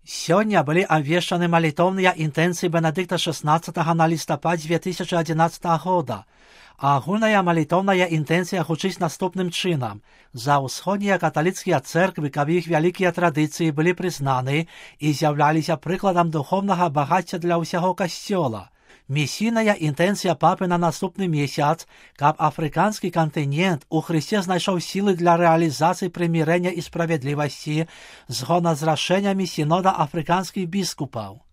Сёння былі абвешчаны малітоўныя інтэнцыі Бенедыкта XVI на лістапад 2011 года. А агульная малітоўная інтэнцыя гучыць наступным чынам. За ўсходнія каталіцкія цэрквы, каб іх вялікія традыцыі былі прызнаны і з'яўляліся прыкладам духовнага багацця для ўсяго касцёла. Місійная інтэнцыя папы на наступны месяц, каб афрыканскі кантынент у Хрысце знайшоў сілы для рэалізацыі прымірэння і справядлівасці згодна з рашэннямі сінода афрыканскіх біскупаў.